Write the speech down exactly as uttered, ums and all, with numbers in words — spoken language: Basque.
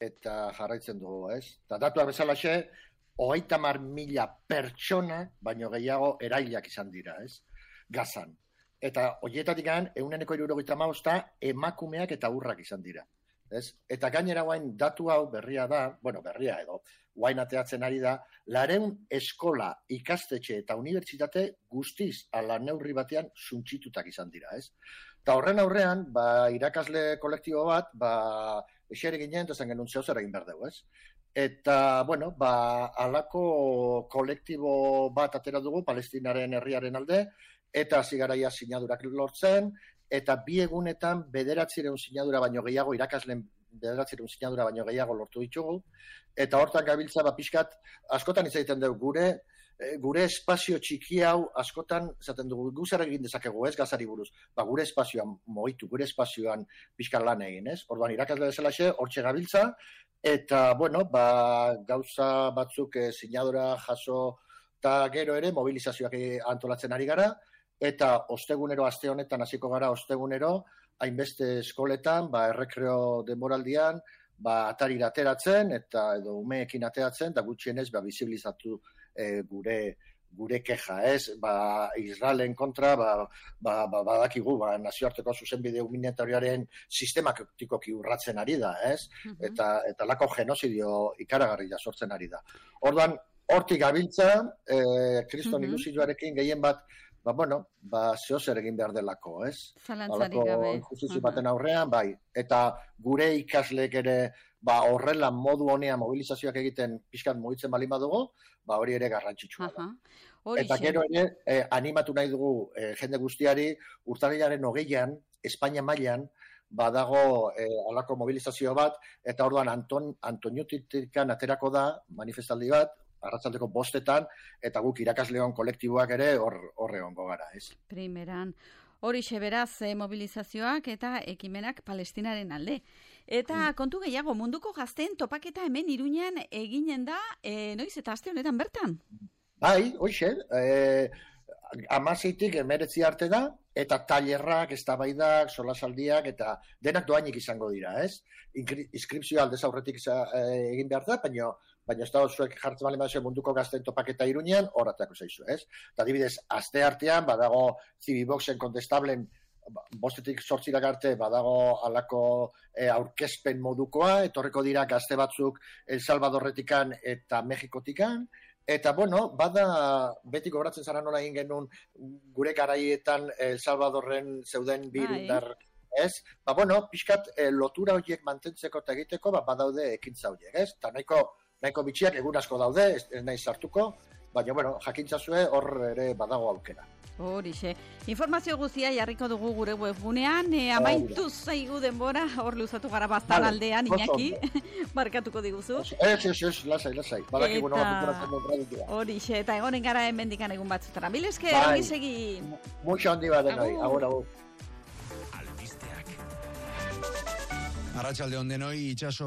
eta jarraitzen dugu, ez? Eta datua bezalaxe, hogeita hamar mila pertsona, baino gehiago erailak izan dira, ez? Gazan. Eta horietatik gan, ehuneko hirurogeita hamabosta emakumeak eta haurrak izan dira. Ez? Eta gainera guain datu hau berria da, bueno, berria edo, guain ateatzen ari da, lareun eskola, ikastetxe eta unibertsitate guztiz ala neurri batean suntsitutak izan dira, ez? Eta horren aurrean, ba, irakasle kolektibo bat, ba, esere ginen, eta zen genuen zeu zer egin behar dugu, ez? Eta, bueno, ba, alako kolektibo bat atera dugu, Palestinaren herriaren alde, eta zigaraia sinadurak lortzen, eta bi egunetan bederatzireun sinadura baino gehiago, irakasleen bederatzireun sinadura baino gehiago lortu ditugu, eta hortan gabiltza, ba, pixkat, askotan izaiten dugu, gure, gure espazio txiki hau, askotan, zaten dugu, guzara egin dezakegu, ez, Gazari buruz, ba, gure espazioan moitu, gure espazioan pixkat lan egin, ez? Orduan, irakasle bezalaxe, hortxe gabiltza, eta, bueno, ba, gauza batzuk e, sinadura jaso, eta gero ere, mobilizazioak antolatzen ari gara, eta ostegunero, aste honetan hasiko gara ostegunero, hainbeste eskoletan, ba, errekreo denboraldian, ba, atarira ateratzen, eta edo umeekin ateratzen, da gutxienez, ba, bizibilizatu e, gure, gure keja, ez? Ba, Israelen kontra, ba, ba, ba, badakigu, ba, nazioarteko zuzenbide humanitariaren sistematikoki urratzen ari da, ez? Uh-huh. Eta, eta lako genozidio ikaragarria sortzen ari da. Orduan, hortik gabiltza, eh, kriston uh-huh. ilusioarekin gehien bat, ba, bueno, ba, zehozer egin behar delako, ez? Zalantzarik gabe. Injustizio baten aurrean, bai. Eta gure ikasleek ere, ba, horrela modu honean mobilizazioak egiten pixkat mugitzen balin badugu, ba, hori ere garrantzitsua da. Eta gero ere, eh, animatu nahi dugu eh, jende guztiari, urtarrilaren hogeian, Espainia mailan, badago eh, alako mobilizazio bat, eta orduan Anton, Antoniotikan aterako da, manifestaldi bat, arratzaldeko bostetan, eta guk irakasleon kolektiboak ere horre hongo gara, ez? Primeran. Horixe beraz eh, mobilizazioak eta ekimenak Palestinaren alde. Eta mm. kontu gehiago, munduko gazteen topaketa hemen Iruñan eginen da, eh, noiz eta aste honetan bertan? Bai, hoxe, eh, amaseitik emeretzi arte da, eta tailerrak, eztabaidak, solasaldiak, eta denak doainik izango dira, ez? Inskripzioa aldez aurretik eh, egin behar da, baina baina ez da zuek jartzen bali mazio munduko gazten topaketa Iruñean, horretako zaizu, ez? Eta adibidez, aste artean, badago Civiboxen kontestablen, bostetik sortzirak arte, badago alako e, aurkezpen modukoa, etorreko dira gazte batzuk El Salvadorretikan eta Mexikotikan, eta, bueno, bada, beti gobratzen zara nola egin genuen gure garaietan El Salvadorren zeuden birundar, ez? Ba, bueno, pixkat e, lotura horiek mantentzeko eta egiteko, ba, badaude ekintza horiek, ez? Eta nahiko nahiko bitxiak egun asko daude, ez, ez nahi sartuko, baina, bueno, jakintzazue hor ere badago aukera. Horixe. Informazio guztia jarriko dugu gure webgunean, e, amaitu zaigu denbora, hor luzatu gara bastan vale, aldean, Iñaki, barkatuko diguzu. Ez, ez, ez, lasai, lasai. Badaki, bueno, horixe, eta egonen gara hemendikan egun batzutara. Mil esker, bai, ongi segi. Mucho handi bat denoi, agur, agur. Albisteak. Arratsalde on denoi, itxaso